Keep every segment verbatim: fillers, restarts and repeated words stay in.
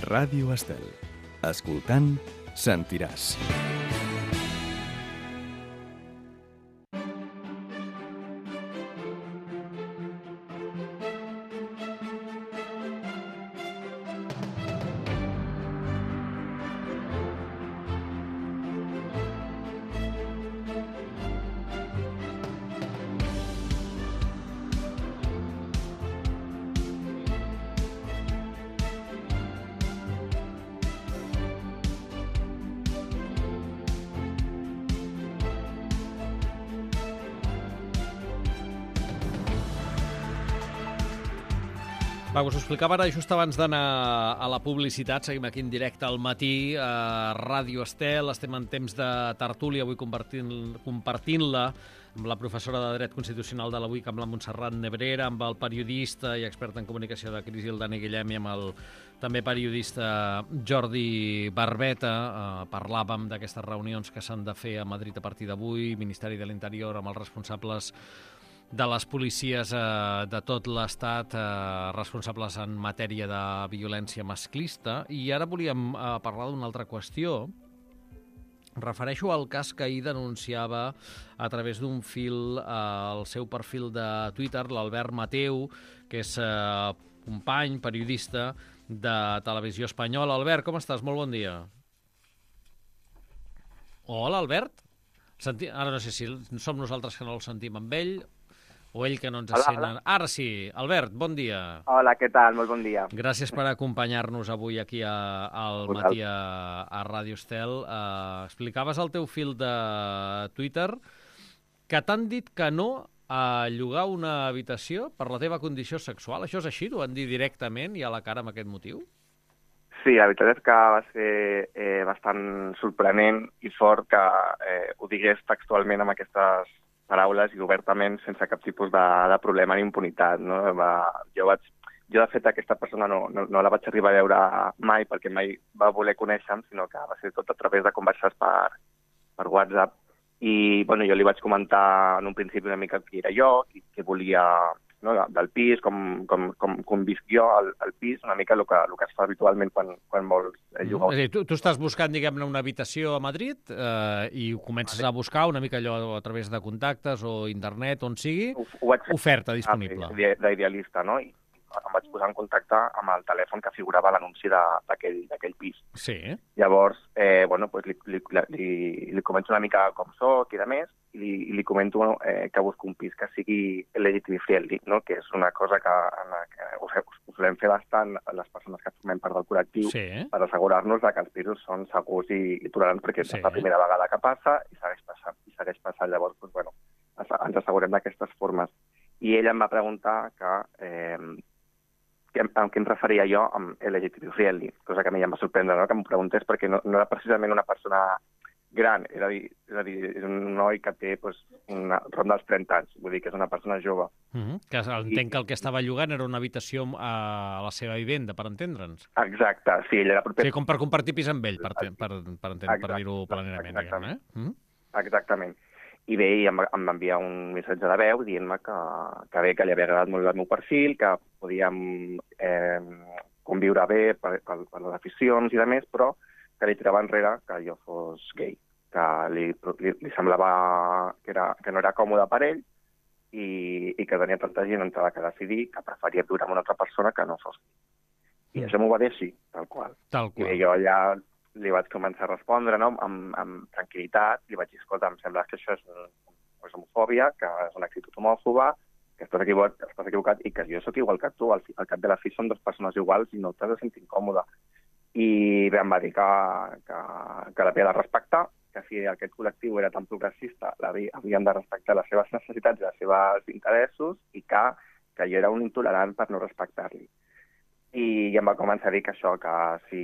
Ràdio Estel. Escoltant, sentiràs. Va, us ho explicava ara just abans d'anar a la publicitat. Seguim aquí en directe al matí a Ràdio Estel. Estem en temps de tertúlia, avui compartint- compartint-la amb la professora de Dret Constitucional de la U I C, amb la Montserrat Nebrera, amb el periodista i expert en comunicació de crisi, el Dani Guillem, i amb el també periodista Jordi Barbeta. Eh, parlàvem d'aquestes reunions que s'han de fer a Madrid a partir d'avui, Ministeri de l'Interior amb els responsables de les policies eh, de tot l'Estat, eh, responsables en matèria de violència masclista. I ara volíem eh, parlar d'una altra qüestió. Refereixo al cas que ahir denunciava a través d'un fil eh, al seu perfil de Twitter l'Albert Mateu, que és eh, company, periodista de Televisió Espanyola. Albert, com estàs? Molt bon dia. Hola, Albert. Senti... Ara no sé si som nosaltres que no el sentim amb ell o ell que no ens sent. Ara sí. Albert, bon dia. Hola, què tal? Molt bon dia. Gràcies per acompanyar-nos avui aquí a, al matí a, a Ràdio Estel. Uh, explicaves al teu fil de Twitter que t'han dit que no a llogar una habitació per la teva condició sexual. Això és així? Ho van dir directament i a la cara amb aquest motiu? Sí, la veritat és que va ser eh, bastant sorprenent i fort que eh, ho digués textualment amb aquestes paraules i obertament, sense cap tipus de, de problema ni impunitat. No? Va, jo, vaig, jo, de fet, aquesta persona no, no, no la vaig arribar a veure mai perquè mai va voler conèixer-me, sinó que va ser tot a través de converses per, per WhatsApp. I bueno, jo li vaig comentar en un principi una mica qui era jo, qui, qui volia, no, del pis, com, com, com, com visc jo al, al pis, una mica el que, el que es fa habitualment quan, quan vols llogar. És a dir, tu, tu estàs buscant, diguem-ne, una habitació a Madrid eh, i comences a buscar una mica allò a través de contactes o internet, on sigui, ho, ho vaig... oferta disponible. Ah, d'idealista, no? I em vaig posar en contacte amb el telèfon que figurava a l'anunci d'aquell pis. Sí. Llavors, eh, bueno, pues li, li, li, li comento una mica com soc i de més, i li, i li comento eh, que busco un pis que sigui L G T B friendly, no? Que és una cosa que, en la que ho, ho solem fer bastant les persones que formem part del col·lectiu, sí, per assegurar-nos que els pisos són segurs i, i tolerants, perquè sí, és la primera vegada que passa i segueix passant. I segueix passant. Llavors, pues, bueno, ens assegurem d'aquestes formes. I ella em va preguntar que... Eh, amb què em referia jo amb L G T B friendly, cosa que a mi ja em va sorprendre, no? Que m'ho preguntés, perquè no, no era precisament una persona gran, era a dir, és, a dir, és un noi que té pues, una ronda dels trenta anys, vull dir que és una persona jove. Mm-hmm. Que entenc I... que el que estava llogant era una habitació a la seva vivenda, per entendre'ns. Exacte, sí, ell era proper... Sí, com per compartir pis amb ell, per, per, per, per, per dir-ho planerament, diguem-ne. Eh? Mm-hmm. Exactament. I bé, em va, em va enviar un missatge de veu dient-me que, que bé, que li havia agradat molt el meu perfil, que podíem eh, conviure bé per, per, per les aficions i de més, però que li tirava enrere que jo fos gay, que li, li, li semblava que, era, que no era còmode per ell i, i que tenia tanta gent entrada que decidir que preferia viure amb una altra persona que no fos gay. I mm. això m'ho va dir així, tal qual. Tal qual. I bé, jo ja... li vaig començar a respondre, no? amb, amb tranquil·litat, li vaig dir, escolta, em sembla que això és, un, és homofòbia, que és una actitud homòfoba, que estàs equivocat, estàs equivocat i que jo sóc igual que tu, al, al cap de la fi són dues persones iguals i no t'has de sentir incòmode. I bé, em va dir que, que, que l'havia de respectar, que si aquest col·lectiu era tan progressista, havien de respectar les seves necessitats i els seus interessos i que, que jo era un intolerant per no respectar-li. I ja em va començar a dir que això, que, si,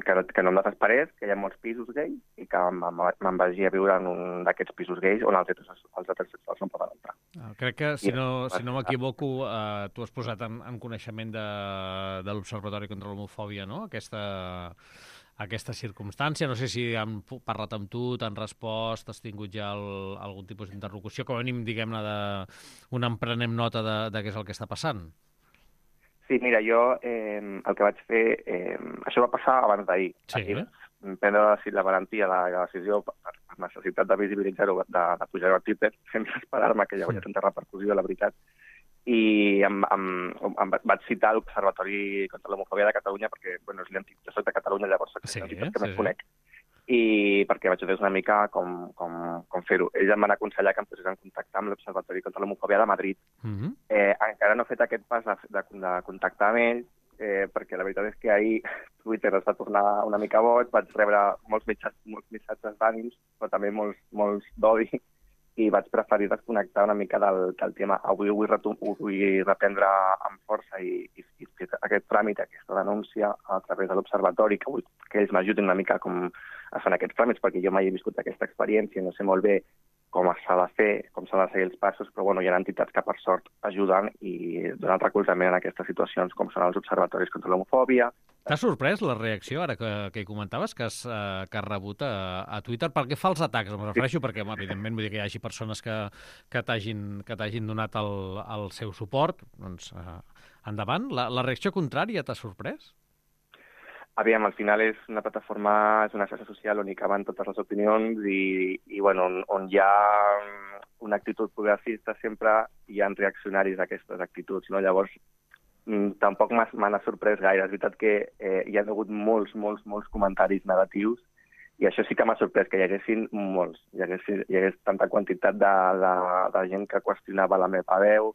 que, no, que no em desesperés, que hi ha molts pisos gais i que me'n vagi a viure en un d'aquests pisos gais on els heterosexuals no poden entrar. Ah, crec que, si no, si no m'equivoco, eh, tu has posat en, en coneixement de, de l'Observatori contra l'Homofòbia, no?, aquesta, aquesta circumstància. No sé si han parlat amb tu, t'han respost, has tingut ja el, algun tipus d'interlocució, com a mínim, diguem-ne, de, un emprenem nota de, de què és el que està passant. Sí, mira, jo eh, el que vaig fer... Eh, això va passar abans d'ahir. Sí. Aquí vam prendre la, la valentia, la, la decisió, per, per necessitat de visibilitzar-ho, de, de pujar-ho a Twitter, sense esperar-me que hi havia tanta repercussió, la veritat. I em, em, em vaig citar l'Observatori contra l'Homofòbia de Catalunya perquè, bueno, és l'entitat, jo soc de Catalunya, llavors soc Sí, l'entitat que sí, més sí. conec. I perquè vaig veure una mica com, com, com fer-ho. Ells em van aconsellar que em posés en contacte amb l'Observatori contra l'Homofòbia de Madrid. Mhm. Eh, encara no he fet aquest pas de, de, de contactar amb ells, eh, perquè la veritat és que ahir Twitter es va tornar una mica boig, vaig rebre molts missatges, molts missatges d'ànims, però també molts, molts d'odi, i vaig preferir desconnectar una mica del, del tema. Avui ho vull, retum, ho vull reprendre amb força i, i, i fer aquest tràmit, aquesta denúncia a través de l'Observatori, que vull que ells m'ajudin una mica com a fer aquests tràmits, perquè jo mai he viscut aquesta experiència, no sé molt bé com s'ha de fer, com s'ha de seguir els passos, però bueno, hi ha entitats que per sort ajuden i donen recolzament en aquestes situacions, com són els observatoris contra l'homofòbia. T'ha sorprès la reacció, ara que, que hi comentaves, que has, eh, que has rebut a, a Twitter? Per què fa els atacs? Em refereixo perquè, evidentment, vull dir que hi hagi persones que, que t'hagin donat el, el seu suport. Doncs, eh, endavant. La, la reacció contrària t'ha sorprès? Aviam, al final és una plataforma, és una xarxa social on hi caben totes les opinions i, i bueno, on, on hi ha una actitud progressista sempre hi ha reaccionaris d'aquestes actituds, no? Llavors, tampoc m'ha sorprès gaire. És veritat que eh, hi ha hagut molts, molts, molts comentaris negatius i això sí que m'ha sorprès, que hi haguessin molts. Hi hagués, hi hagués tanta quantitat de, de, de gent que qüestionava la meva veu,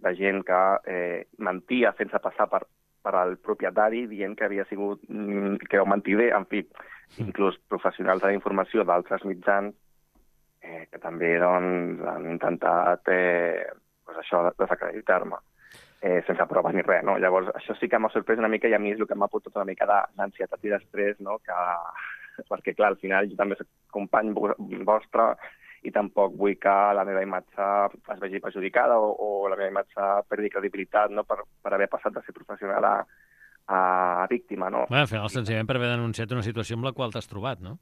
de gent que eh, mentia sense passar per per al propietari, dient que havia sigut, que ho mentider, en fi, inclús professionals de la informació d'altres mitjans, eh, que també doncs, han intentat eh, pues això, desacreditar-me, eh, sense proves ni res, no? Llavors, això sí que m'ha sorprès una mica i a mi és el que m'ha portat una mica d'ansietat i d'estrès, no? Que, perquè, clar, al final jo també soc company vostre i tampoc vull que la meva imatge es vegi perjudicada o, o la meva imatge perdi credibilitat, no? per, per haver passat de ser professional a, a víctima, no? Bé, al final, senzillament per haver denunciat una situació amb la qual t'has trobat, no?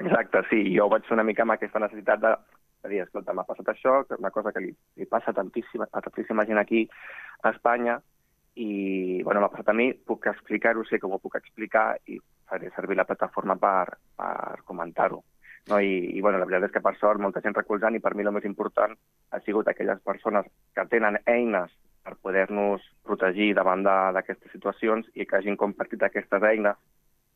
Exacte, sí. Jo vaig fer una mica amb aquesta necessitat de, de dir, escolta, m'ha passat això, que és una cosa que li, li passa a tantíssima, a tantíssima gent aquí a Espanya i, bueno, m'ha passat a mi, puc explicar-ho, sé com ho puc explicar i faré servir la plataforma per, per comentar-ho. No, i, i bueno, la veritat és que per sort molta gent recolzant i per mi el més important ha sigut aquelles persones que tenen eines per poder-nos protegir davant d'aquestes situacions i que hagin compartit aquestes eines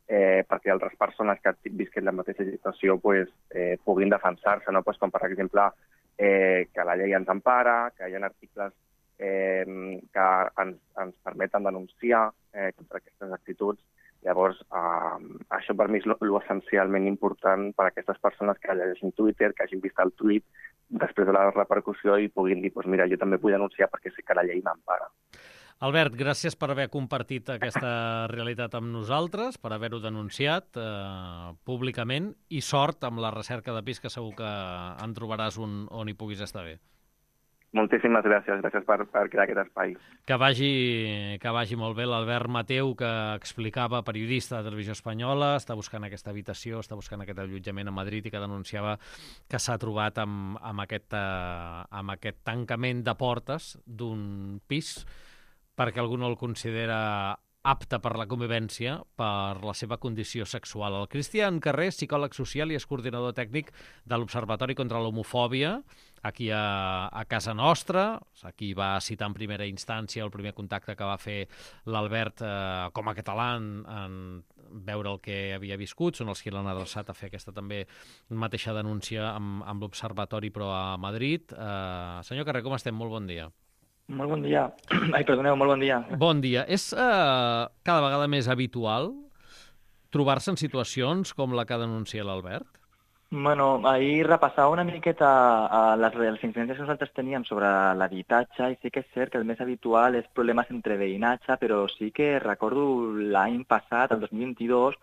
eh, perquè altres persones que visquen la mateixa situació pues, eh, puguin defensar-se, no? Pues, com per exemple eh, que la llei ens empara, que hi ha articles eh, que ens, ens permeten denunciar eh, contra aquestes actituds. Llavors, eh, això per mi és l'essencialment important per a aquestes persones que llegeixin Twitter, que hagin vist el tuit després de la repercussió i puguin dir, pues mira, jo també vull denunciar perquè sé que la llei m'empara. Albert, gràcies per haver compartit aquesta realitat amb nosaltres, per haver-ho denunciat eh, públicament i sort amb la recerca de pis, que segur que en trobaràs un on hi puguis estar bé. Moltíssimes gràcies, gràcies per, per crear aquest espai. Que vagi, que vagi molt bé. L'Albert Mateu, que explicava, periodista de Televisió Espanyola, està buscant aquesta habitació, està buscant aquest allotjament a Madrid i que denunciava que s'ha trobat amb, amb, aquest, eh, amb aquest tancament de portes d'un pis perquè algú no el considera apte per la convivència per la seva condició sexual. El Cristian Carrer, psicòleg social i és coordinador tècnic de l'Observatori contra l'Homofòbia, aquí a, a casa nostra. Aquí va citar en primera instància el primer contacte que va fer l'Albert eh, com a català en, en veure el que havia viscut. Són els que l'han adreçat a fer aquesta també mateixa denúncia amb, amb l'Observatori, però a Madrid. Eh, senyor Carrer, com estem? Molt bon dia. Molt bon dia. Ai, perdoneu, molt bon dia. Bon dia. És eh, cada vegada més habitual trobar-se en situacions com la que denuncia l'Albert? Bueno, ahir repassava una miqueta a les, les incidències que nosaltres teníem sobre l'habitatge i sí que és cert que el més habitual és problemes entre veïnatge, però sí que recordo l'any passat, el dos mil vint-i-dos,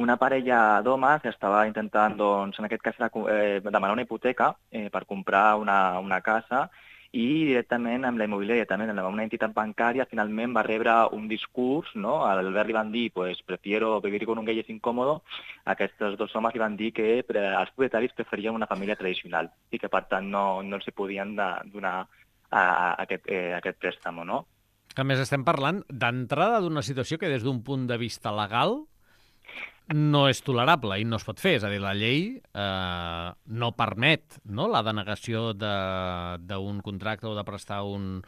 una parella d'homes estava intentant, doncs, en aquest cas, eh, demanar una hipoteca eh, per comprar una, una casa i directament amb la immobiliària, també amb una entitat bancària, finalment va rebre un discurs, no? A l'Albert li van dir, pues, prefiero vivir con un gay es incómodo. Aquests dos homes li van dir que els propietaris preferien una família tradicional i que, per tant, no, no els podien de, donar a, a aquest, eh, aquest préstamo, no? Que a més estem parlant d'entrada d'una situació que des d'un punt de vista legal no és tolerable i no es pot fer. És a dir, la llei eh, no permet, no?, la denegació d'un de, contracte o de prestar un,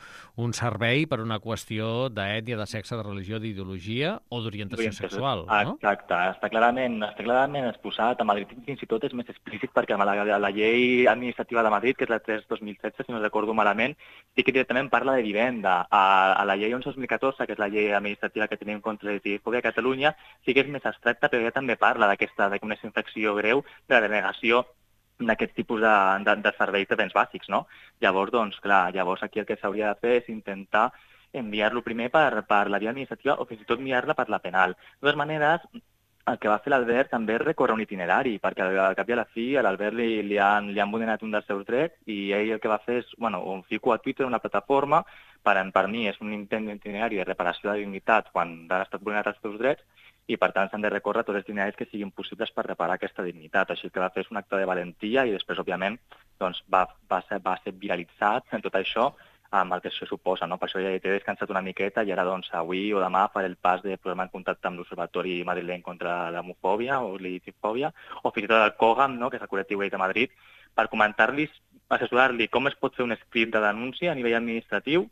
un servei per una qüestió d'ètnia, de sexe, de religió, d'ideologia o d'orientació sexual. No? Exacte. Està clarament, està clarament exposat. A Madrid fins i tot és més explícit perquè la, la, la llei administrativa de Madrid, que és la tres dos mil setze, si no recordo malament, sí que directament parla de vivenda. A, a la llei onze dos mil catorze, que és la llei administrativa que tenim contra la lgtbi a Catalunya, sí que és més abstracta, però també parla d'aquesta, d'una infracció greu de la denegació d'aquest tipus de, de, de serveis de béns bàsics, no? Llavors, doncs, clar, llavors aquí el que s'hauria de fer és intentar enviar-lo primer per, per la via administrativa o fins i tot enviar-la per la penal. De totes maneres, el que va fer l'Albert també és recórrer un itinerari, perquè al cap i a la fi a l'Albert li, li, han, li han vulnerat un dels seus drets i ell el que va fer és, bueno, un fico a Twitter, una plataforma, per, per mi és un intent d'itinerari de reparació de dignitat quan han estat vulnerats els seus drets, i per tant s'han de recórrer tots els itineraris que siguin possibles per reparar aquesta dignitat. Així que va fer un acte de valentia i després, òbviament, doncs, va, va, ser, va ser viralitzat en tot això amb el que això suposa, no? Per això ja he descansat una miqueta i ara, doncs, avui o demà faré el pas de posar-me en contacte amb l'Observatori madrileny contra l'homofòbia o l'LGTBifòbia o fins i tot el COGAM, no?, que és el col·lectiu gay de Madrid, per comentar-li, assessorar-li com es pot fer un escrit de denúncia a nivell administratiu,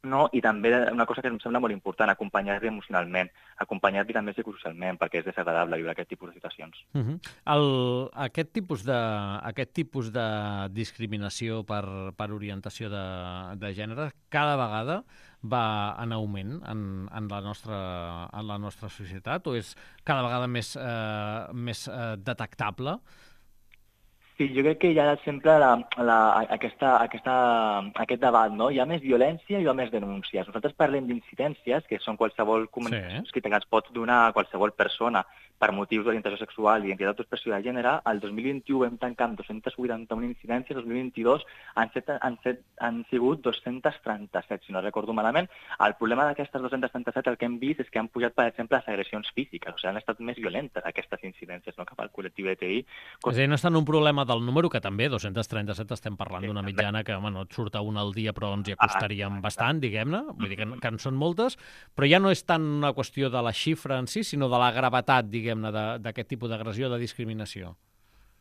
no? I també una cosa que em sembla molt important, acompanyar-li emocionalment, acompanyar-li també psicosocialment, perquè és desagradable viure aquest tipus de situacions. Uh -huh. El, aquest, tipus de, aquest tipus de discriminació per, per orientació de, de gènere cada vegada va en augment en, en, la, nostra, en la nostra societat o és cada vegada més, eh, més eh, detectable? Sí, jo crec que hi ha sempre la, la, aquesta, aquesta, aquest debat, no? Hi ha més violència i hi ha més denúncies. Nosaltres parlem d'incidències, que són qualsevol comunicació sí. que ens pot donar a qualsevol persona per motius d'orientació sexual i identitat d'expressió de gènere. El dos mil vint-i-u vam tancar amb dos-cents vuitanta-una incidències, el dos mil vint-i-dos han, set, han, set, han sigut dos-cents trenta-set, si no recordo malament. El problema d'aquestes dos-cents trenta-set, el que hem vist és que han pujat, per exemple, les agressions físiques, o sigui, han estat més violentes aquestes incidències, no?, cap al col·lectiu L G T B I. És a dir, no és tant un problema del número, que també, dos-cents trenta-set, estem parlant d'una mitjana que, bueno, et surt a una al dia, però ens hi acostaríem bastant, diguem-ne, vull dir que, que en són moltes, però ja no és tant una qüestió de la xifra en si, sinó de la gravetat, diguem-ne, d'aquest tipus d'agressió, de discriminació.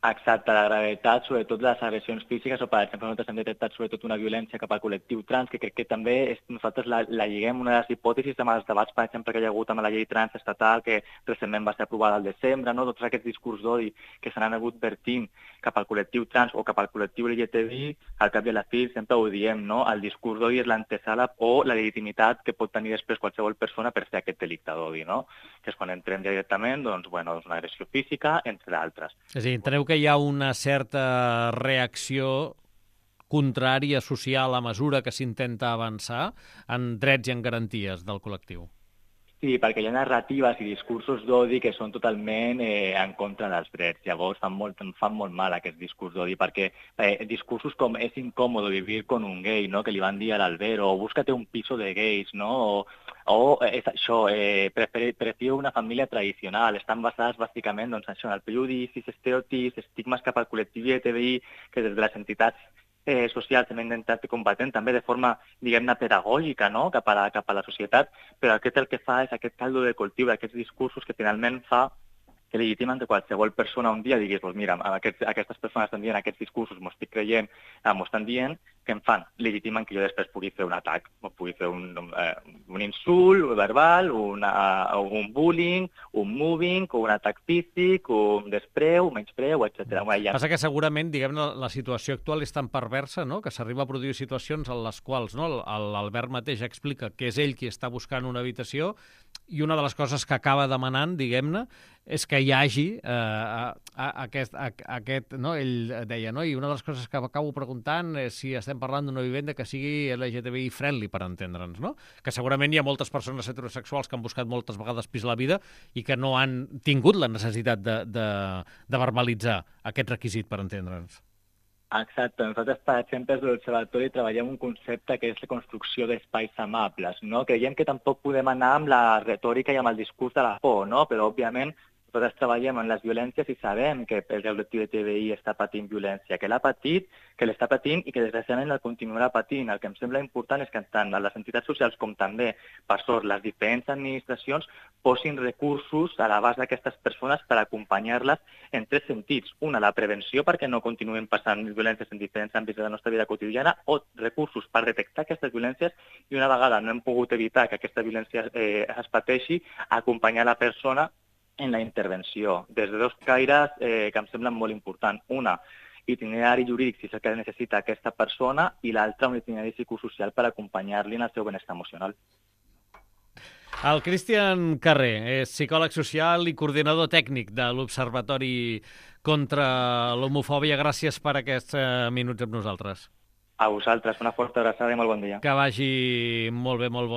Exacte, la gravetat, sobretot les agressions físiques, o per exemple nosaltres hem detectat sobretot una violència cap al col·lectiu trans, que crec que també és, nosaltres la, la lliguem una de les hipòtesis amb els debats, per exemple, que hi ha hagut amb la llei trans estatal, que recentment va ser aprovada al desembre, no? Tots aquests discurs d'odi que s'han anat vertint cap al col·lectiu trans o cap al col·lectiu L G T B I, al cap i a la fi sempre ho diem, no? El discurs d'odi és l'antesala o la legitimitat que pot tenir després qualsevol persona per fer aquest delicte d'odi, no? Que és quan entrem directament, doncs, bueno, és una agressió física, entre d'altres. És a dir, enteneu que hi ha una certa reacció contrària social a mesura que s'intenta avançar en drets i en garanties del col·lectiu. Sí, perquè hi ha narratives i discursos d'odi que són totalment eh, en contra dels drets. Llavors fan molt, fan molt mal aquest discurs d'odi, perquè eh, discursos com és incòmodo vivir con un gay, no?, que li van dir a l'Albert, o búscate un piso de gays, no?, o, o és això, eh, prefiero una família tradicional. Estan basades bàsicament, doncs, això, en el prejudicis, estereotips, estigmes cap al col·lectiu L G T B I, que des de les entitats Eh, socials hem intentat combatent també de forma, diguem-ne, pedagògica, no?, cap a la, cap a la societat, però aquest el que fa és aquest caldo de cultiu d'aquests discursos que finalment fa que legitimen que qualsevol persona un dia diguis, pues mira, aquests, aquestes persones estan dient aquests discursos, m'ho estic creient, m'ho estan dient, que em fan? Legitimen que jo després pugui fer un atac, pugui fer un, eh, un insult verbal, una, un bullying, un moving, un atac físic, un despreu, un menyspreu, etcètera. Ja... Passa que segurament, diguem-ne, la situació actual és tan perversa, no?, que s'arriba a produir situacions en les quals, no?, l'Albert mateix explica que és ell qui està buscant una habitació i una de les coses que acaba demanant, diguem-ne, és que hi hagi eh, a, a, aquest, a, aquest, no? Ell deia, no? I una de les coses que acabo preguntant és si estem parlant d'una vivenda que sigui L G T B I friendly, per entendre'ns, no? Que segurament hi ha moltes persones heterosexuals que han buscat moltes vegades pis la vida i que no han tingut la necessitat de, de, de verbalitzar aquest requisit, per entendre'ns. Exacte. Nosaltres, per exemple, des de l'Observatori treballem un concepte que és la construcció d'espais amables, no? Creiem que tampoc podem anar amb la retòrica i amb el discurs de la por, no? Però, òbviament, Nosaltres treballem en les violències i sabem que el col·lectiu L G T B I està patint violència, que l'ha patit, que l'està patint i que desgraciadament la continuarà patint. El que em sembla important és que tant les entitats socials com també, per sort, les diferents administracions posin recursos a l'abast d'aquestes persones per acompanyar-les en tres sentits. Una, la prevenció perquè no continuen passant violències en diferents àmbits de la nostra vida quotidiana, o recursos per detectar aquestes violències i una vegada no hem pogut evitar que aquesta violència eh, es pateixi, acompanyar la persona en la intervenció, des de dos caires eh, que em semblen molt importants. Una, itinerari jurídic, si és el que necessita aquesta persona, i l'altra, un itinerari psicosocial per acompanyar-li en el seu benestar emocional. El Cristian Carrer és psicòleg social i coordinador tècnic de l'Observatori contra l'Homofòbia. Gràcies per aquests eh, minuts amb nosaltres. A vosaltres, una forta abraçada i molt bon dia. Que vagi molt bé, molt bon